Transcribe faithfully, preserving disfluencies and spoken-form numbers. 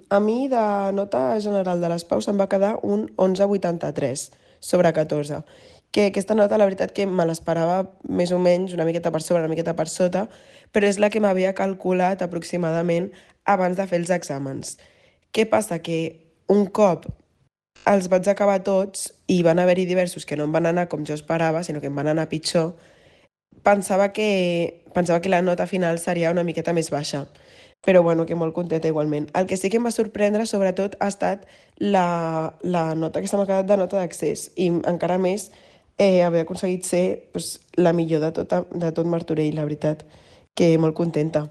a mi de nota general de les paus em va quedar un onze coma vuitanta-tres sobre catorze, que aquesta nota la veritat que me l'esperava més o menys una miqueta per sobre, una miqueta per sota, però és la que m'havia calculat aproximadament abans de fer els exàmens. Què passa? Que un cop els vaig acabar tots i van haver-hi diversos que no em van anar com jo esperava, sinó que em van anar pitjor, pensava que, pensava que la nota final seria una miqueta més baixa, però bueno, que molt contenta igualment. El que sí que em va sorprendre, sobretot, ha estat la, la nota que se m'ha quedat de nota d'accés i encara més eh, haver aconseguit ser pues, la millor de, tota, de tot Martorell, la veritat, que molt contenta.